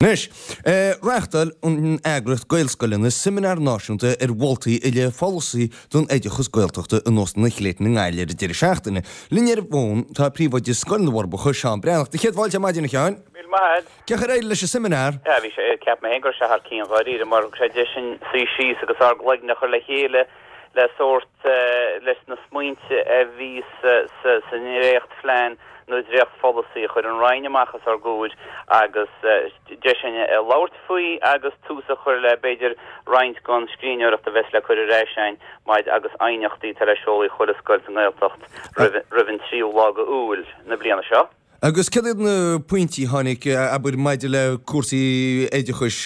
Anois, reáchtáil an eagraíocht Gaelscoileanna seimineár náisiúnta ar mholtaí i leith pholasaí don oideachas Gaeltachta in Óstán an Chlayton i nGaillimh ar an deireadh seachtaine. Linn ar an bhfón tá Príomhoide Scoil na bhForbacha, Seán Breathnach. Do chéad fáilte ar maidin, a Sheáin. Míle maith a'd. Cén chaoi ar éirigh leis an seimineár? Yeah, bhí sé, ceapaim féin go raibh sé thar cionn dháiríre mar thug sé deis dúinn suí síos agus ár gcloigne a chur le chéile le sórt, leis na smaointe a bhí sa ndréachtphlean nó dréachtpholasaí a chuir an Roinn amach os ár gcomhair agus deis againn labhairt faoi agus tús a chur le b'fhéidir roinnt den scríbhneoireacht a bheas le cur ar ais againn maidir agus aighneachtaí atá le seoladh chuile scoil sa nGaeltacht roimh an tríú lá de Iúil na bliana seo. Agus céard iad na pointí a tháinig, abair, maidir le cúrsaí oideachais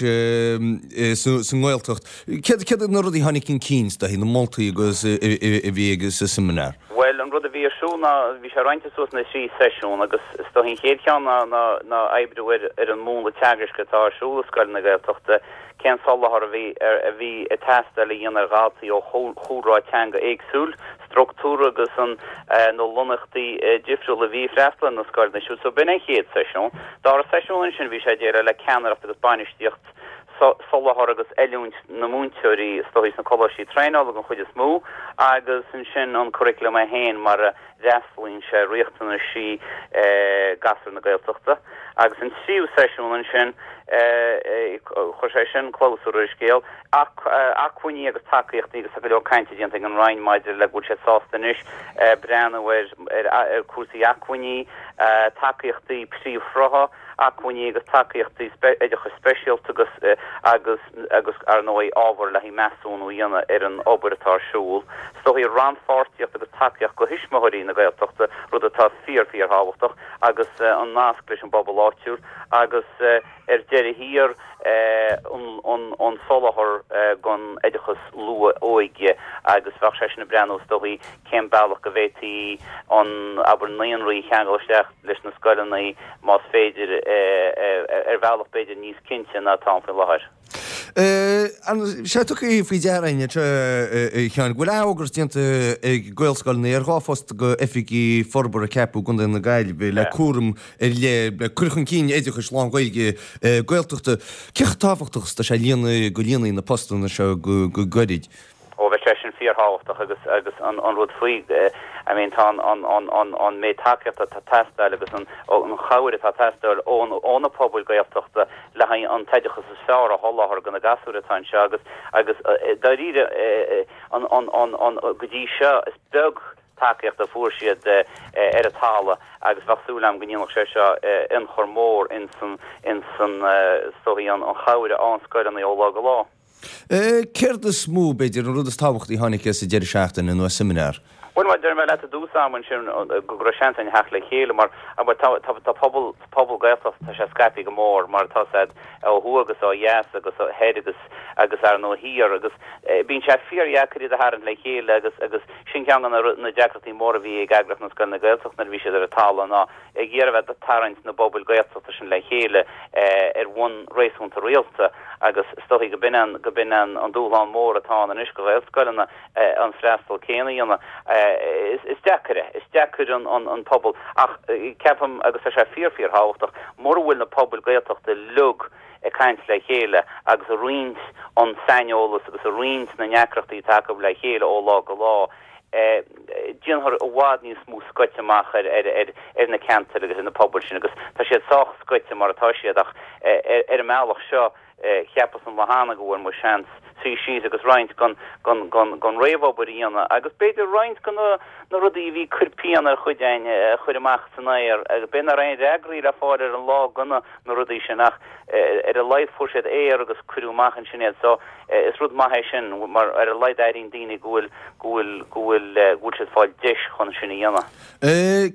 sa nGaeltacht? Céard iad na rudaí a tháinig chun cinn, is dóichí, na moltaí agus a bhí ag sa seimineár? Bhuel, an rud a bhí ar siúl ná, bhí sé roinnte suas ina thrí seisiún agus is dóichí an chéad cheann ná ná oibriú ar ar an múnla teagaisc atá ar siúl i scoileanna Gaeltachta, cén soláthar a bhí a bhí ag teastáil a dhéanamh ar dhaltaí ó chúlra teanga éagsúil, structúr agus an na lonnaíochtaí difriúla a bhí ag freastal ar na scoileanna siúd. So b'in an chéad seisiún. Dara seisiún ansin bhí sé ag déileáil le ceannaireacht agus bainistíocht, soláthar agus oiliúint na múinteoirí is dóichí sna coláistí traenála den chuid is mó agus ansin an curriculum é féin mar a fhreastalaíonn sé ar riachtanaisí gasúir na Gaeltachta. Agus an tríú seisiún ansin chuir sé sin clabhsúr ar an scéal. Acmhainní agus tacaíochtaí agus tá go leor cainte déanta ag an Roinn maidir le go bhfuil siad sásta anois breathnú ar cúrsaí acmhainní, tacaíochtaí príomhshrutha, acmhainní agus tacaíochtaí oideachais speisialta agus agus agus ar ndóigh ábhar le haghaidh measúnú a dhéanamh ar an obair atá ar siúl. Is dóichí rannpháirtíocht agus tacaíocht do thuismitheoirí na Gaeltachta, rud atá fíor fíor thábhachtach, agus an nasc leis an bpobal áitiúil agus ar deireadh thiar an soláthar don oideachas luath-óige agus bheadh sé sin ag breathnú is dóichí cén bealach go bhféadfaí an, abair, naíonraí a cheangal isteach leis na scoileanna más féidir ar bhealach b'fhéidir níos cinnte ná atá ann faoi láthair. Tá sé tugtha faoi deara againn anseo, a Sheáin, go bhfuil athfhógairt déanta ag Gaelscoileanna ar 2 phost d'oifigigh forbartha a ceapadh i gContae na Gaillimhe le cúram ar leith le cur chun cinn oideachais lán-Ghaeilge Gaeltachta. Cé chomh tábhachtach is atá sé líonadh go líonfaí na postanna seo go gairid? Ó bheadh sé sin fíorthábhachtach agus agus an an rud faoi I mean tá an an an an an méid tacaíochta atá ag teastáil agus an an chabhair atá ag teastáil ón ó na pobail Gaeltachta le haghaidh an t-oideachas is fearr a sholáthar do na gasúir atá anseo agus agus dáiríre an an an an go dtí seo is beag tacaíocht a fuair siad ar an talamh agus bheadh súil agam go ndéanfadh sé seo ionchur mór ins an ins an is dóichí an chabhair a fhaigheann scoileanna ó lá go lá. Céard is mó, b'fhéidir, an rud is tábhachtaí a tháinig as an deireadh seachtaine nó as seimineár? Bhuel, mar a deir mé leat i dtús ama ansin, go raibh seans againn theacht le chéile mar, abair, tá, tá, tá pobal, pobal Gaeltachta, tá sé scaipthe go mór mar atá a fhios a'd ó thuaidh agus ó dheas agus ó thoir agus, agus ar ndóigh thiar agus bíonn sé fíordheacair iad a tharraingt le chéile agus, agus sin ceann de na, na deacrachtaí móra a bhí ag Eagraíocht na Scoileanna Gaeltachta nuair a bhí siad ar an talamh ná ag iarraidh a bheith ag tarraingt na bpobail Gaeltachta sin le chéile ar bhonn réasúnta rialta agus is dóichí go b'in an, go b'in an dúshlán mór atá ann anois do Ghaelscoileanna an freastal céanna a dhéanamh. Is deacair é, is deacair an pobal ach ceapaim, agus tá sé fíor fíor thábhachtach, mura bhfuil na pobail Gaeltachta uilig ag caint le chéile agus ag roinnt an saineolas agus ag roinnt na ndeacrachtaí atá acu le chéile ó lá go lá, déanfar i bhfad níos mó scoite amach ar ar na ceantair agus ar na pobail sin agus tá siad sách scoite mar atá siad ach ar an mbealach seo cheapas an lá cheana go bhfuair muid seans suí síos agus roinnt den den réamhobair a dhéanamh agus b'fhéidir roinnt de na na rudaí a bhí ag cur pian ar chuid againn a chur amach san aer agus b'fhéidir nach raibh aon fhreagraí le fáil ar an lá do na na rudaí sin ach ar a laghad fuair siad aer agus cuireadh amach ansin iad so is rud maith é sin mar ar a laghad airíonn daoine go bhfuil go bhfuil go bhfuil go bhfuil siad ag fáil deis chun sin a dhéanamh.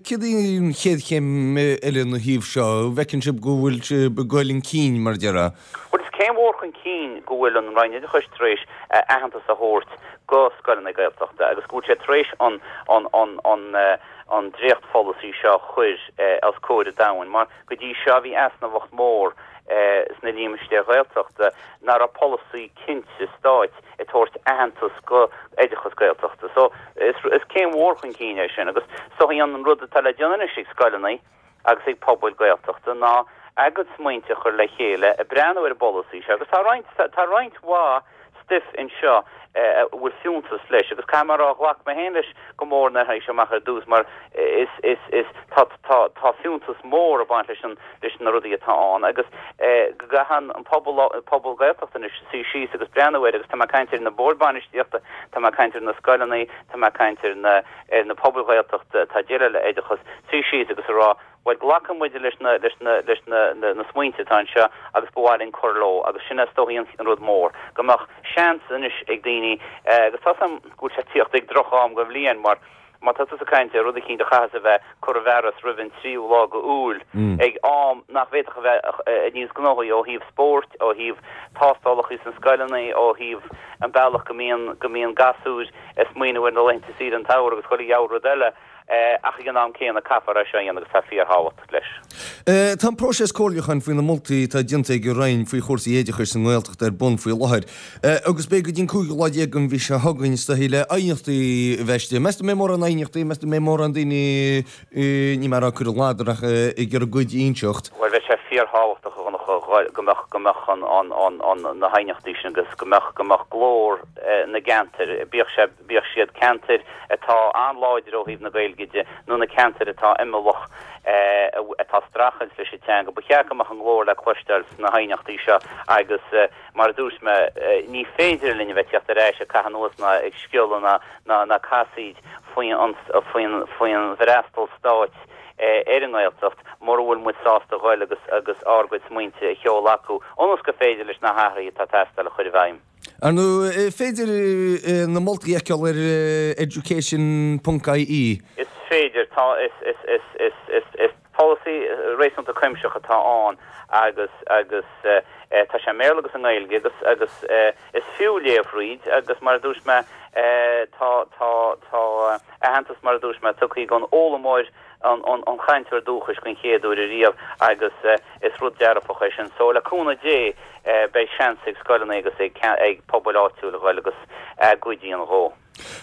Céard í an chéad chéim eile ina thaobh seo? An bhfeiceann sibh go bhfuil sibh ag dul chun cinn mar a déarfá? Bhuel is céim mhór chun cinn go bhfuil an Roinn Oideachais tar éis aitheantas a thabhairt go scoileanna Gaeltachta agus go bhfuil sé tar éis an an an an an dréachtpholasaí seo a chur os comhair an domhain mar Go dtí seo bhí easnamhacht mhór sna límistéir Ghaeltachta nach raibh polasaí cinnte stáit ag tabhairt aitheantas go oideachas Gaeltachta. So is céim mhór chun cinn é sin agus so an rud atá le déanamh anois ag scoileanna agus ag pobail Gaeltachta ná. A gcuid smaointe a chur le chéile, ag breathnú ar an bpolasaí seo agus tá roinnt, tá roinnt mhaith stuif anseo a bhfuil fiúntas leis agus caithfidh mé a rá, ghlac mé féin leis go mór nuair a tháinig sé amach ar dtús mar is, is, is, tá, tá, tá fiúntas mór ag baint leis an, leis na rudaí atá ann agus go gcaithfidh an pobal, pobal Gaeltachta anois suí síos agus breathnú air agus tá mé ag caint ar na boird bainistíochta, tá mé ag caint ar na scoileanna, tá mé ag caint ar na, ar na pobail Ghaeltachta atá ag déileáil le oideachas, suí síos agus a rá Bhuel, glacann muid leis na, leis na, leis na, na, na smaointe atá anseo agus ba mhaith linn cur leo agus sin is dóichí an, an rud mór, go mbeadh seans anois ag daoine, agus tá 's a'm go bhfuil sé ag tíocht ag droch-am den bhliain mar má tá tusa ag caint ar rud eicínt a chaithfeas a bheith curtha i bhfearas roimh an tríú lá go Iúil, ag am nach bhféadfadh a bheith níos gnóthaí ó thaobh spóirt, ó thaobh tástálacha sna scoileanna, ó thaobh an bealach go mbíonn, go mbíonn gasúir ag smaoineamh ar na laethanta saoire an tsamhraidh agus chuile dhiabhal rud eile. Ach ag an am céanna, caithfear é seo a dhéanamh agus tá fíorthábhacht leis. Tá an próiseas comhairliúcháin faoi na moltaí atá déanta ag an Roinn faoi chúrsaí oideachais sa nGaeltacht ar bun faoi láthair agus beidh go dtí an cúigiú lá déag den mhí seo chugainn is dóichí le aighneachtaí a bheith istigh. Meas tú an mbeidh mórán aighneachtaí, meas tú an mbeidh mórán daoine, níl mé ag rá ag cur an ladar ach ag iarraidh a gcuid a inseacht? Bhuel, bheadh sé fíorthábhachtach, a Dhonncha, go mbeadh, go mbeadh an, an, an, an, na haighneachtaí sin agus go mbeadh, go mbeadh glór na gceantar, bíodh sé, bíodh siad ceantair atá an-láidir ó thaobh na Gaeilge de nó na ceantair atá imeallach atá ag streachailt leis an teanga. Ba cheart go mbeadh a nglór le cloisteáil sna haighneachtaí seo agus mar a dúirt mé, ní féidir linn a bheith ag tíocht ar ais ag caitheamh anuas ná ag sciolladh ná ná ná casaoid faoin faoin faoin bhfreastal stáit ar an nGaeltacht mura bhfuil muid sásta a ghoil agus agus ár gcuid smaointe a sheoladh acu ionas gur féidir leis na hathruithe atá ag teastáil a chur i bhfeidhm. Ar ndóigh, is féidir na moltaí a fheiceáil ar education ponc ie. Is féidir. Tá, is, is, is, is, is, is polasaí réasúnta cuimsitheach atá ann agus, agus tá sé i mBéarla agus i nGaeilge agus, agus is fiú léamh thríd agus mar a dúirt mé, tá, tá, tá aitheantas mar a dúirt mé tugtha don fhoghlaimeoir, an, an, an chainteoir dúchais den chéad uair ariamh agus is rud dearfach é sin. So le cúnamh Dé beidh seans ag scoileanna agus ag, ag pobail áitiúil a ghoil agus a gcuid a dhéanamh dhó.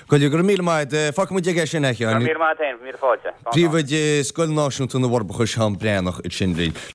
Go raibh míle maith agat. Fágfaidh muid aige sin é, a Sheáin. Go raibh míle maith agat féin, míle fáilte. Príomhoide Scoil Náisiúnta na bhForbacha, Seán Breathnach, ansin linn.